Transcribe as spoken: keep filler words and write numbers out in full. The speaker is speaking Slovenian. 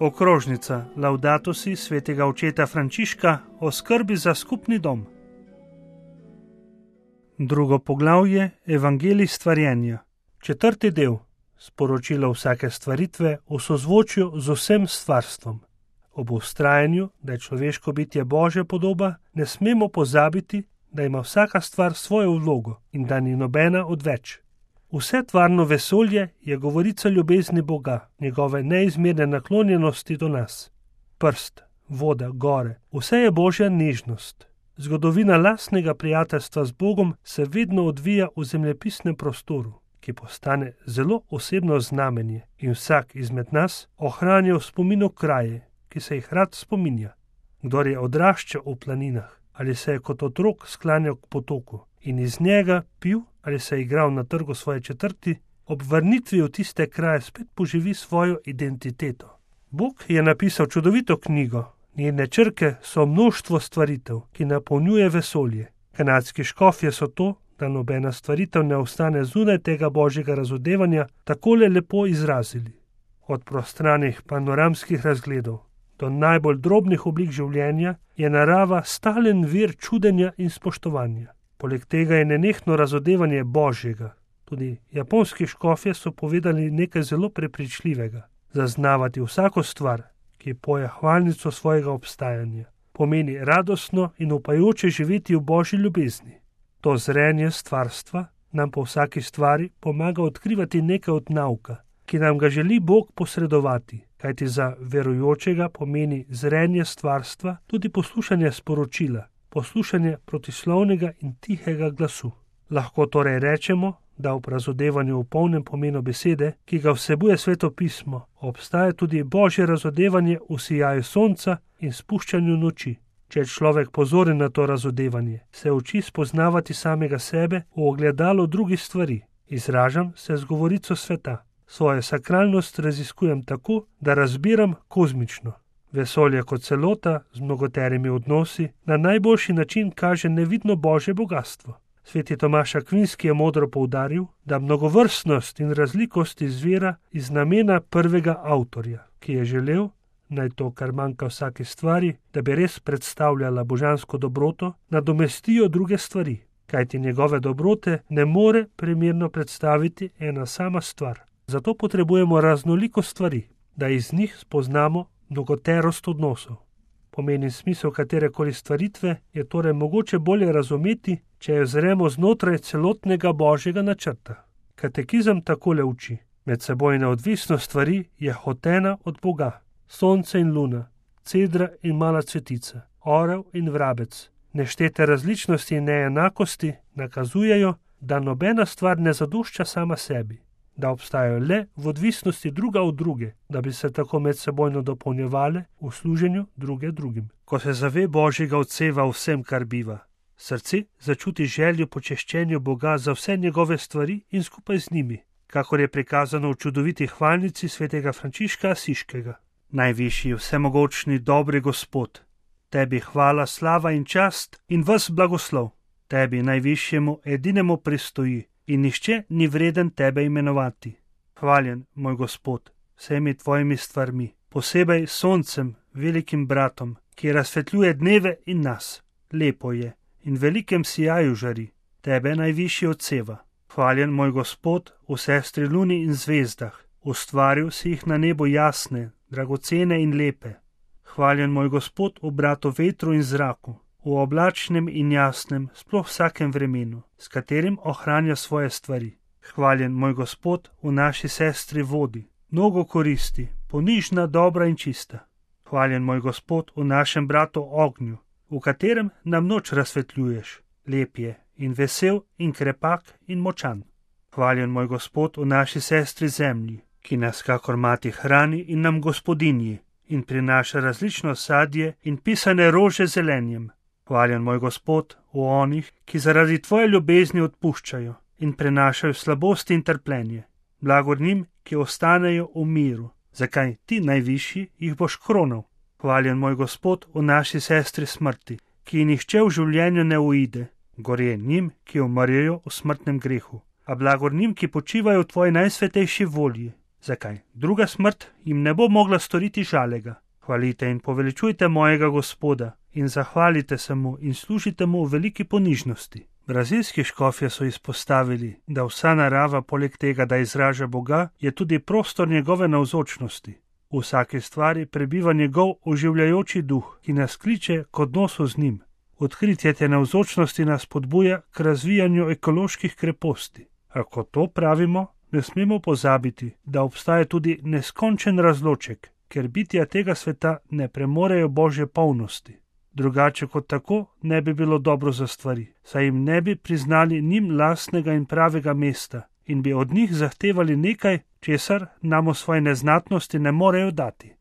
Okrožnica Laudato si svetega očeta Frančiška o skrbi za skupni dom. Drugo poglavje Evangelij stvarjenja. Četrti del. Sporočilo vsake stvaritve v sozvočju z vsem stvarstvom. Ob vztrajanju, da je človeško bitje Božja podoba, ne smemo pozabiti, da ima vsaka stvar svojo vlogo in da ni nobena odveč. Vse tvarno vesolje je govorica ljubezni Boga, njegove neizmerne naklonjenosti do nas. Prst, voda, gore, vse je Božja nežnost. Zgodovina lastnega prijateljstva z Bogom se vedno odvija v zemljepisnem prostoru, ki postane zelo osebno znamenje in vsak izmed nas ohranja v spominu kraje, ki se jih rad spominja. Kdor je odraščal v planinah ali se je kot otrok sklanjal k potoku in iz njega pil ali se je igral na trgu svoje četrti, ob vrnitvi v tiste kraje spet poživi svojo identiteto. Bog je napisal čudovito knjigo, njene črke so množstvo stvaritev, ki napolnjuje vesolje. Kanadski škofje so to, da nobena stvaritev ne ostane zunaj tega božjega razodevanja, takole lepo izrazili. Od prostranih panoramskih razgledov do najbolj drobnih oblik življenja je narava stalen vir čudenja in spoštovanja. Poleg tega je nenehno razodevanje Božjega. Tudi japonski škofje so povedali nekaj zelo prepričljivega. Zaznavati vsako stvar, ki poje hvalnico svojega obstajanja, pomeni radostno in upajoče živeti v Božji ljubezni. To zrenje stvarstva nam po vsaki stvari pomaga odkrivati nekaj od nauka, ki nam ga želi Bog posredovati, kajti za verujočega pomeni zrenje stvarstva tudi poslušanje sporočila, poslušanje protislovnega in tihega glasu. Lahko torej rečemo, da v razodevanju v polnem pomenu besede, ki ga vsebuje Sveto pismo, obstaja tudi Božje razodevanje v sijaju sonca in spuščanju noči. Če je človek pozoren na to razodevanje, se uči spoznavati samega sebe v ogledalu drugih stvari. Izražam se z govorico sveta. Svojo sakralnost raziskujem tako, da razbiram kozmično. Vesolje kot celota z mnogoterimi odnosi na najboljši način kaže nevidno Božje bogastvo. Sveti Tomaž Akvinski je modro poudaril, da mnogovrstnost in razlikost izvira iz namena prvega avtorja, ki je želel, naj to, kar manjka vsaki stvari, da bi res predstavljala božansko dobroto, nadomestijo druge stvari, kajti njegove dobrote ne more primerno predstaviti ena sama stvar. Zato potrebujemo raznoliko stvari, da iz njih spoznamo mnogoterost odnosov. Pomeni smisel katerekoli stvaritve je torej mogoče bolje razumeti, če jo zremo znotraj celotnega Božjega načrta. Katekizem takole uči. Medsebojna odvisnost stvari je hotena od Boga. Sonce in luna, cedra in mala cvetica, orel in vrabec, neštete različnosti in neenakosti nakazujejo, da nobena stvar ne zadošča sama sebi, da obstajajo le v odvisnosti druga od druge, da bi se tako medsebojno dopolnjevale v služenju druge drugim. Ko se zave Božjega odseva vsem, kar biva, srce začuti željo po češčenju Boga za vse njegove stvari in skupaj z njimi, kakor je prikazano v čudoviti hvalnici svetega Frančiška Asiškega. Najvišji, vsemogočni, dobri Gospod, tebi hvala, slava in čast in ves blagoslov. Tebi najvišjemu edinemu pristoji in nihče ni vreden tebe imenovati. Hvaljen, moj Gospod, vsemi tvojimi stvarmi, posebej soncem, velikim bratom, ki razsvetljuje dneve in nas. Lepo je in velikem sijaju žari, tebe najvišji odseva. Hvaljen, moj Gospod, v sestri luni in zvezdah, ustvaril si jih na nebu jasne, dragocene in lepe. Hvaljen, moj Gospod, v bratu vetru in zraku, v oblačnem in jasnem, sploh vsakem vremenu, s katerim ohranja svoje stvari. Hvaljen, moj Gospod, v naši sestri vodi, mnogo koristi, ponižna, dobra in čista. Hvaljen, moj Gospod, v našem bratu ognju, v katerem nam noč razsvetljuješ, lep je in vesel in krepak in močan. Hvaljen, moj Gospod, v naši sestri zemlji, ki nas kakor mati hrani in nam gospodinji in prinaša različno sadje in pisane rože zelenjem. Hvaljen, moj Gospod, v onih, ki zaradi tvoje ljubezni odpuščajo in prenašajo slabosti in trpljenje. Blagor njim, ki ostanejo v miru, zakaj ti najvišji jih boš kronal. Hvaljen, moj Gospod, v naši sestri smrti, ki nihče v življenju ne uide, gorje njim, ki umrjejo v smrtnem grehu, a blagor njim, ki počivajo v tvoji najsvetejši volji, Zakaj? Druga smrt jim ne bo mogla storiti žalega. Hvalite in poveličujte mojega Gospoda in zahvalite se mu in služite mu v veliki ponižnosti. Brazilski škofje so izpostavili, da vsa narava poleg tega, da izraža Boga, je tudi prostor njegove navzočnosti. V vsaki stvari prebiva njegov oživljajoči duh, ki nas kliče k odnosu z njim. Odkritje te navzočnosti nas spodbuja k razvijanju ekoloških kreposti. A ko to pravimo, ne smemo pozabiti, da obstaja tudi neskončen razloček, ker bitja tega sveta ne premorejo Božje polnosti. Drugače kot tako ne bi bilo dobro za stvari, saj jim ne bi priznali njim lastnega in pravega mesta in bi od njih zahtevali nekaj, česar nam v svoji neznatnosti ne morejo dati.